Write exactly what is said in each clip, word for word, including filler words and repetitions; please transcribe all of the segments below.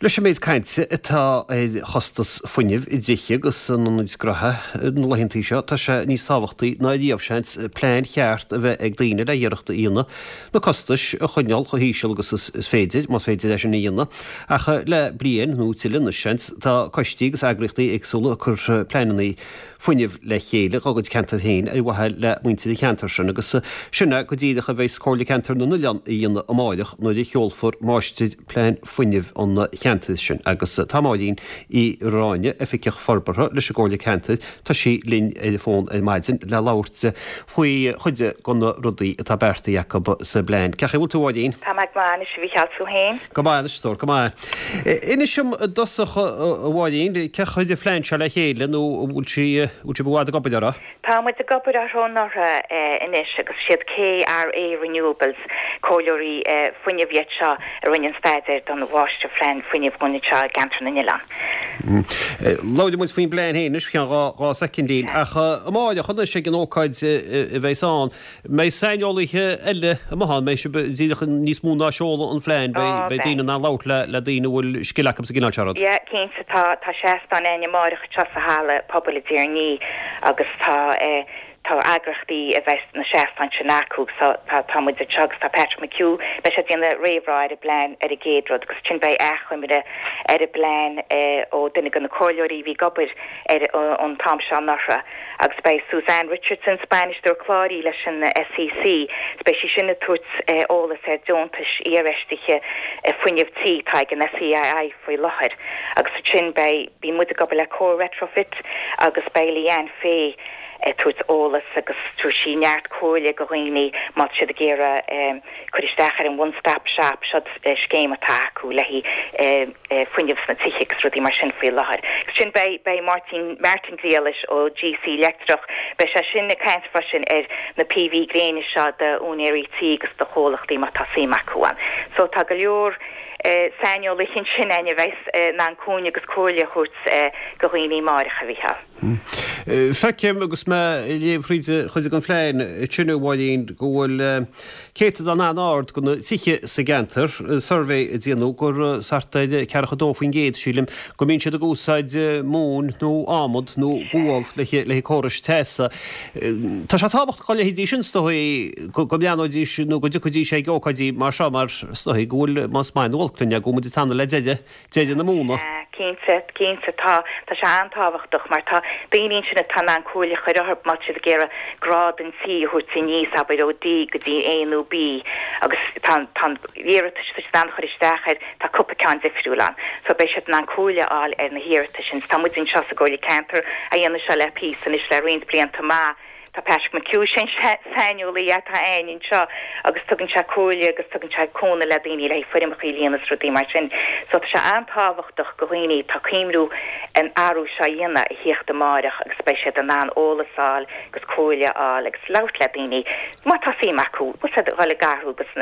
Leis an méid cainte atá ar chostas fuinnimh i dtithe agus in ionaid ghnótha na laethanta seo, tá sé níos tábhachtaí ná riamh seans plean cheart a bheith ag daoine le hiarracht a dhéanamh na costais a choinneáil chomh híseal agus is féidir, más féidir é sin a dhéanamh. Ach le bliain nó tuilleadh anois seans, tá coistí agus eagraíochtaí éagsúla ag cur pleananna fuinnimh le chéile dá gcuid ceantar féin ar mhaithe le muintir an cheantair sin agus sin é go díreach a bheas Comhairle Ceantar na nOileán a dhéanamh amárach nuair a sheolfar Máistirphlean Fuinnimh an cheantair sin agus tá Máirín Uí Ráinne, Oifigeach Forbartha leis an gComhairle Ceantair, tá sí linn ar an bhfón ar maidin le labhairt faoi chuid de na rudaí atá beartaithe acu sa bplean. Cén chaoi a bhfuil tú a Mháirín? Tá mé go maith anois a Mhícheáil, tú féin? Go maith anois, a stór, go maith. Inis dom i dtosach a Mháirín, cé a chuir an phlean seo le chéile nó an bhfuil sí bhfuil sibh i bhfad ag obair orthu? Tá muid ag obair orthu ó anuraidh anois agus siad KRA Renewables, comhairleoirí fuinnimh iad seo a rinne an staidéar don mháistirphlean fuinnimh dhúinn anseo i gCeantar na nOileán. Labhróidh muid faoin bplean féin anois faoi cheann dhá dhá soicindín ach amáireach anois ag an ócáid a bheas ann, mbeidh saineolaithe eile amuigh ann, mbeidh sibh díreach níos mó ná seoladh an phlean, beidh beidh daoine in ann labhairt le le daoine a bhfuil scil acu sa gcineál seo rud. Yeah, cinnte, tá tá seastán againn amáireach anseo sa halla pobail i dTír an Fhia agus tá eh tá eagraíochtaí a bheas na seastáin sin acu so tá tá muid anseo agus tá Patrick McHugh, beidh sé ag déanamh réamhrá ar an bplean ar an gcéad rud agus ansin beidh achoimre ar an bplean eh ó duine de na comhairleoirí a bhí ag obair air an t-am seo anuraidh agus beidh Suzanne Richardson, bainisteoir cláir í leis an SEC, is beidh sí sin ag tabhairt eolas ar deontais iarfheistithe fuinnimh tí atá ag an SEAI faoi láthair agus ansin beidh bíonn muid ag obair le Comhar Retrofit agus beidh Leanne Fay ag tabhairt eolas agus tabharfaidh sí neart comhairle go dhaoine má tá siad ag iarraidh cur isteach ar an One Stop Shop, seo scéim atá acu le haghaidh fuinneamh sna tithe agus rudaí mar sin faoi láthair. Agus sin beidh beidh Máirtín Martin Griallais ó GC Leictreach, beidh sé sin ag caint freisin ar na PV gréine seo d'úinéirí tí agus do chomhlachtaí má tá suim acu ann. So tá go leor saineolaithe ansin againn a bheas in ann cúnamh agus comhairle a thabhairt go dhaoine amáireach, a Mhícheáil. Feicim, agus mé ag léamh thríd chuid den phlean sin, a Mháirín, go bhfuil céatadán an-ard de na tithe sa gceantar, suirbhé a déanadh, gur thart ar ceathracha a dó faoin gcéad, sílim, go mbíonn siad ag úsáid móin nó adhmad nó gual le haghaidh córais teasa. Tá sé tábhachtach do leithéidí sin, is dóigh, go mbreathnóidís nó go dtiocfaidís ag ócáidí mar seo mar is dóigh go bhfuil, más maith nó olc linn é, go bhfuil muid ag teannadh le deireadh, deireadh na móna. Cinnte, cinnte, tá, tá sé an-tábhachtach mar tá daoine ansin atá in ann comhairle a chur orthu má tá siad ag iarraidh grád an tí a thabhairt aníos, abair ó D go dtí A nó B agus tá, tá an iarratais atá siad in ann chur isteach air, tá cúpla ceann difriúil ann. So beidh siad in ann comhairle a fháil ar na hiarratais sin. Tá muid anseo sa gComhairle Ceantair a dhéanamh seo le píosa anois le roinnt blianta maith. Tá Patrick McHugh, sin saineolaí atá againn anseo agus tugann sé comhairle agus tugann sé cúnamh le daoine le haghaidh foirmeacha a líonadh is rudaí mar sin. So tá sé an-tábhachtach go dhaoine atá ag cuimhniú an athrú seo a dhéanamh a thíocht amáireach agus beidh siad in ann eolas a fháil agus comhairle a fháil agus labhairt le daoine má tá suim acu, bhfuil siad ag dul ag athrú agus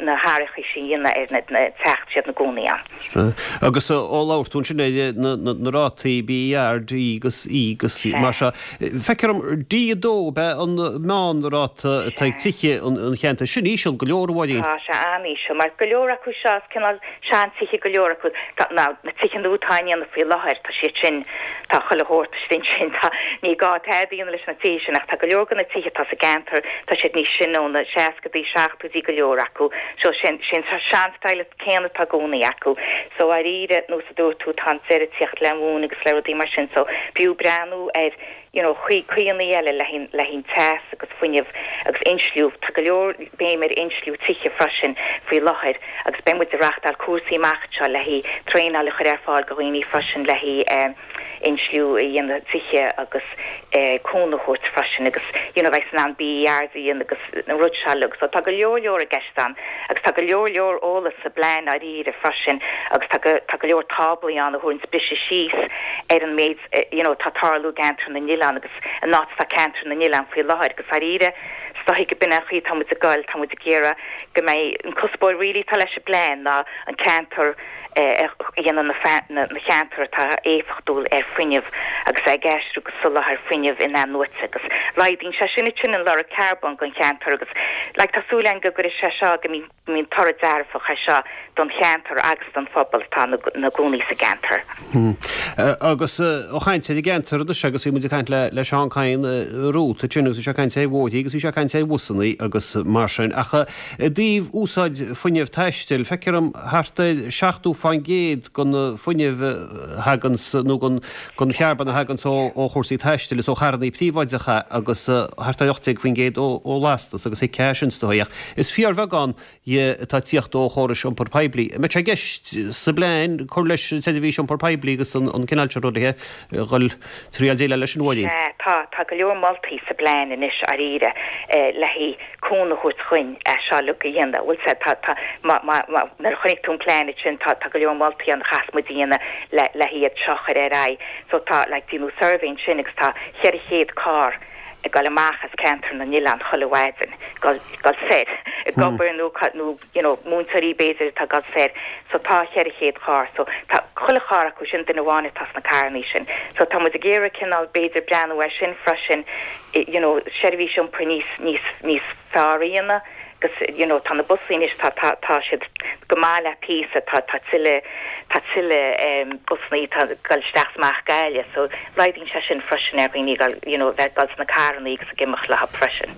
na hathruithe sin a dhéanamh ar na teach atá siad ina gcónaí ann. Agus ó labhair tú ansin ar na rátaí BER, D agus E agus mar seo, feictear dom D a dó ab ea an meánráta atá ag tithe an cheantair. Sin íseal go leor, a Mháirín. Tá sé an-íseal, mar go leor acu seo, is cineál seantithe go leor acu. Tá, na tithe nua atá á ndéanamh faoi láthair, tá siad sin, tá chuile shórt istigh ansin, tá, ní gá tada a dhéanamh leis na tithe sin ach tá go leor de na tithe atá sa gceantar, tá siad níos sine ó na seascadaí, seachtóidí go leor acu. So sin, sin sean-style céanna atá i gcónaí acu. So dáiríre, nós a dúirt tú, tá an deireadh ag tíocht le móin agus le rudaí mar sin so b'fhiú breathnú ar you know chaoi, caoianna eile le haghaidh, le haghaidh teas agus fuinneamh agus insliú. Tá go leor béim ar insliú tithe freisin faoi láthair agus beidh muid ag reáchtáil cúrsaí amach anseo le haghaidh traenáil a chur ar fáil do dhaoine freisin le haghaidh eh insliú a dhéanamh tithe agus eh cúnamh a thabhairt freisin agus you know bheith in ann BERs a dhéanamh agus na rud seo uilig. So tá go leor leor i gceist ann agus tá go leor leor eolas sa bplean dáiríre freisin agus tá go tá go leor táblaí ann a thabharanns briseadh síos ar an méid you know atá ag tarlú i gCeantar na nOileán agus an áit atá Ceantar na nOileán faoi láthair agus dáiríre is dóichí go b'in an chaoi atá muid ag goil, tá muid ag iarraidh go mbeidh an cuspóir really atá leis an bplean ná an ceantar a dhéanamh na na cheantar atá éifeachtúil ar fuinneamh agus ag aistriú go soláthar fuinnimh in-athnuaite agus laghdaíonn sé sin sin an lorg carbóin don cheantar agus like tá súil againn go gcuirfidh sé seo go mbíonn toradh dearfach é seo don cheantar agus don phobal atá na gcónaí sa gceantar. Hmm. Agus ó chaint ar an gceantar anois agus bhí muid ag caint le le Seán Kyne Ruth sin agus sé caint ar bhóithre agus bhí sé caint ar bhusanna agus mar sin ach i dtaobh úsáid fuinnimh taistil feictear dom thart ar seachtó faoin gcéad den fuinneamh thagann nó den den charbón a thagann ó ó chúrsaí taistil is ó charranna príobháideacha agus thart ar ocht déag faoin gcéad ó ó lastas agus thuigfeá sin is dóigh ach is fíorbheagán dhe atá ag tíocht ó chórais iompar poiblí. An mbeidh sé i gceist sa bplean cur leis an tseirbhís iompar poiblí agus an cineál seo rudaí a dhul triail déileáil leis an Mháirín? Sea, tá, tá go leor moltaí sa bplean anois dáiríre le haghaidh cúnamh a thabhairt chuinn é seo uilig a dhéanamh. Bhfuil sé, tá, tá, má, má, má, nuair a chonaic tú an plean ansin tá, tá go leor moltaí ann a chaithfeas muid a dhéanamh le, le hiad seo a chur ar aghaidh. So tá, like, déanadh suirbhé ansin agus tá cheithre chéad carr ag dul amach as ceantar na nOileán chuile mhaidin, dul dul soir ag obair nó nó you know múinteoirí b'fhéidir atá ag dul soir so tá cheithre chéad carr so tá chuile charr acu sin duine amháin atá sna carrannaí sin so tá muid ag iarraidh cineál b'fhéidir breathnú air sin freisin you know seirbhís iompair níos níos níos fearr a dhéanamh agus you know tá na busanna anois tá tá tá siad go maith le píosa tá tá tuilleadh tá tuilleadh um, busanna tá dul isteach is amach Gaillimh so laghdaíonn sé sin freisin ar dhaoine gal you know bheith gal sna carranna agus ag imeacht leo freisin.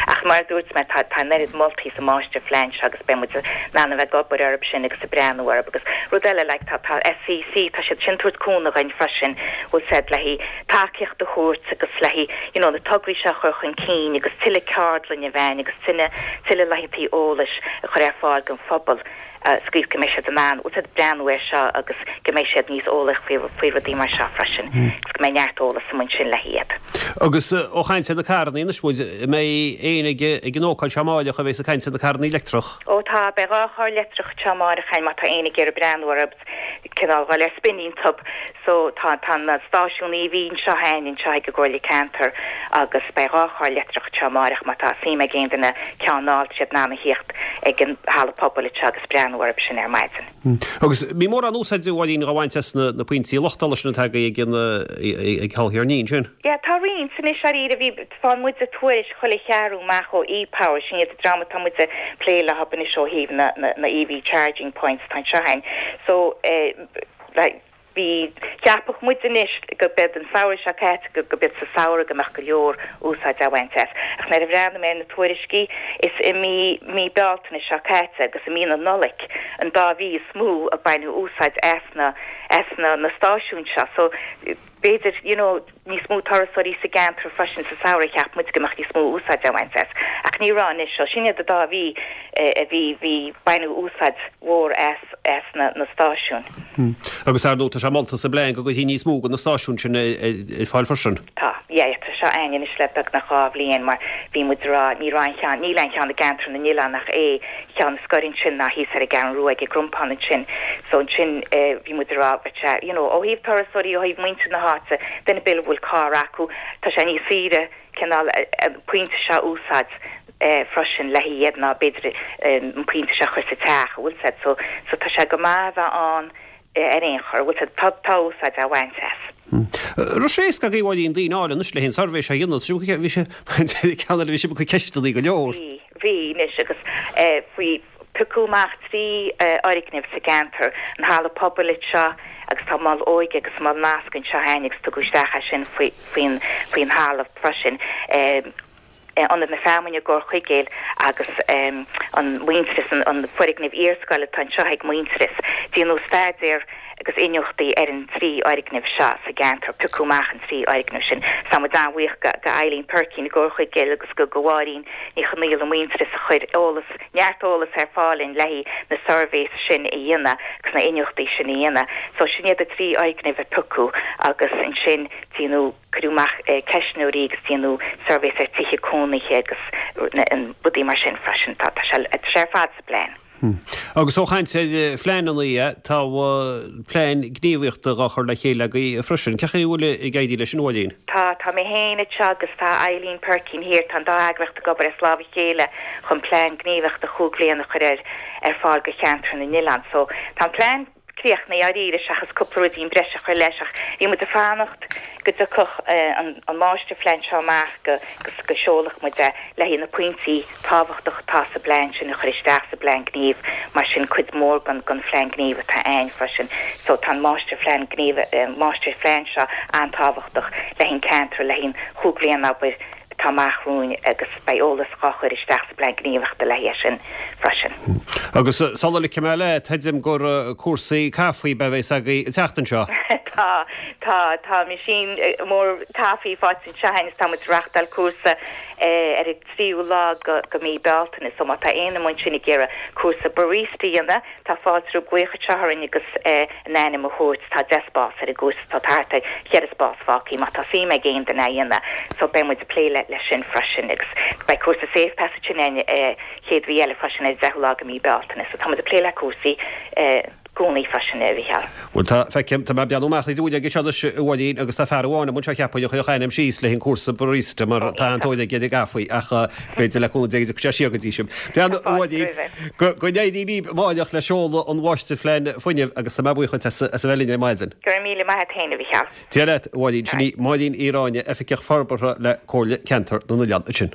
Ach mar dúirt mé tá tá neart moltaí sa máistirphlean seo agus beidh muid in ann a bheith ag obair orthu sin agus ag breathnú orthu agus rud eile like tá tá SEC tá siad sin tabhairt cúnamh againn freisin bhfuil siad le haghaidh tacaíocht a thabhairt agus le haghaidh you know na tograí seo a chur chun cinn agus tuilleadh ceardlann a bheith agus tuilleadh tuilleadh laethanta eolais a chur ar fáil don phobal sa chaoi go mbeidh siad in ann bhfuil siad breathnú air seo agus go mbeidh siad níos eolaí faoi faoi rudaí mar seo freisin agus go mbeidh neart eolas amuigh ansin le hiad. Agus ó chaint ar na carranna anois muid mbeidh aon ag ag an ócáid seo amárach a bheas ag caint ar na carranna leictreach. Ó tá beidh dhá charr leictreach anseo amárach má tá éinne ag iarraidh breathnú orthu cineál dhul ar spin iontu so tá tá na stáisiún EV anseo againn anseo ag an gComhairle Ceantair agus beidh dhá charr leictreach anseo amárach má tá suim ag aon duine ceann a fháil siad in ann a thíocht ag an halla pobail anseo agus breathnú orthu sin ar maidin. Agus bhí mórán úsáide a Mháirín á bhaint as na na pointí luchtála sin atá ag an ag Halla Thír an Fhia sin. Ja tá roinnt anois dáiríre bhí faigheann muid tuairisc chuile cheathrú amach ó ePower sin iad an dream atá muid ag plé leo anois ó thaobh na na na EV charging points tá anseo againn. So eh, like, bhí cheapfadh muid anois go b'fhéidir an samhradh seo caite go go b'fhéidir sa samhradh go mbeadh go leor úsáid á bhaint as. Ach nuair a bhreathnaigh mé ar na tuairiscí is i mí mí Bealtaine seo caite agus i mí na Nollag an dá mhí is mó a baineadh úsáid as na as na na stáisiúin seo. So b'fhéidir you know, níos mó turasóirí sa gceantar freisin sa samhradh cheap muid go mbeadh níos mó úsáid á bhaint as. Ach ní raibh anois seo sin iad an dá mhí a bhí bhí baineadh úsáid mhór as as na, na stáisiúin. Hmm. Agus ar ndóigh tá sé molta sa bplean go gcuirfí níos mó de na stáisiúin sin ar fáil freisin. Tá, yeah, tá seo againn anois le beagnach dhá bhliain mar bhí muid rá ní raibh aon cheann níl aon cheann i gceantar na nOileán ach é ceann scoir ansin ná thíos ar an gCeathrú Rua ag an gCrompán ansin so ansin eh, bhí muid rá sé you know, ó thaobh turasóirí ó thaobh muintir na háite duine ar bith a bhfuil carr acu tá sé níos saoire cineál pointe seo úsáid eh, freisin le hiad ná b'fhéidir an pointe seo chur sa teach bhfuil sé so so tá sé go maith bheith ann ar aon chor bhfuil sé tá tá úsáid á bhaint as. Ru sé go bhfuil daoine áil anois le haghaidh an suirbhé seo a dhéanamh bhí sé ceann bhí sé go ceisteanna go leor. Bhí bhí anois agus eh, faoi piocadh amach trí fhoirgneamh sa gceantar an halla pobail seo agus tá mol óige agus mol nasc anseo againn agus tugadh isteach é sin faoi faoin faoin halla freisin. Eh, ionad na Feamainne i gCorr Chuigéil agus um, an Muintearas an, an foirgneamh iarscoile atá anseo ag Muintearas. Déanadh staidéar agus iniúchtaí ar an trí fhoirgneamh seo sa gceantar piocadh amach an trí fhoirgneamh sin. Tá muid an-bhuíoch go go Eileen Perkin i gCorr Chuigéil agus go go Mháirín Ní Chonaola Muintearas a chuir eolas neart eolas ar fáil le haghaidh na suirbhés sin a dhéanamh agus na iniúchtaí sin a dhéanamh. So sin iad na trí fhoirgneamh a piocadh agus ansin déanadh cuireadh amach eh, ceistneoirí agus déanadh suirbhés ar tithe cónaithe agus an rudaí mar sin freisin tá tá sé sé ar fad sa bplean. Hmm. Agus ó chaint ar phleananna tá plean gníomhaíochta á chur le chéile agaibh freisin, Cén chaoi a bhfuil ag éirí leis sin a Mháirín? Tá tá mé féin anseo agus tá Eileen Perkin thiar tá an dá eagraíocht ag obair as lámh a chéile chun plean gníomhaíochta chúig bliana a chur ar ar fáil go cheantar na nOileán. So tá an plean críochnaithe dáiríre seachas cúpla ruidín breise a chur leis ach bhí muid ag fanacht go dtiocfadh an an máistirphlean seo amach go go seolfadh muid é le haghaidh na pointí tábhachtacha atá sa bplean sin a chur isteach sa bplean gnímh mar sin cuid mhór den den phlean gnímh atá ann freisin so tá an máistirphlean gnímh máistirphlean seo an-tábhachtach le haghaidh an ceantar le haghaidh an chúig bliana abair atá amach romhainn agus beidh eolas dhá chur isteach sa bplean gníomhaíochta le haghaidh sin freisin. Agus sula ligfidh mé leat, tuigim gur cúrsaí caife a bheas agaibh an tseachtain seo. Tá, tá, tá meaisín mór caife faighte anseo againn is tá muid ag reáchtáil cúrsa ar an tríú lá go go mí Bealtaine so má tá aon duine ansin ag iarraidh cúrsa barista a dhéanamh, tá fáilte roimh glaoch anseo orainn agus a n-ainm a thabhairt, tá deich spás ar an gcúrsa, tá thart ar cheithre spás fágtha má tá suim ag aon duine a dhéanamh so beidh muid ag plé le leis sin freisin agus beidh cúrsa Safe Passage sin an chéad mhí eile freisin ar deichiú lá go mí Bealtaine so tá muid ag plé le cúrsaí gcónaí freisin a Mhícheáil. Bhuel tá feicim tá mé ag breathnú amach an fhuinneog anseo anois a Mháirín agus tá fear amháin amuigh anseo cheapfainn a chuirfeadh a ainm síos le haghaidh an cúrsa barista mar tá an-tóir aige ar an gcaife ach b'fhéidir le cúnamh Dé go dtiocfaidh sé siar go dtí sin. Breathnú a Mháirín go go n-éirí libh amárach le seoladh an mháistirphlean fuinnimh agus tá mé buíoch as as a bheith linn ar maidin. Go raibh míle maith agat féin a Mhícheáil. Dia leat a Mháirín, sin í Máirín Uí Ráinne, Oifigeach Forbartha le Comhairle Ceantar na nOileán ansin.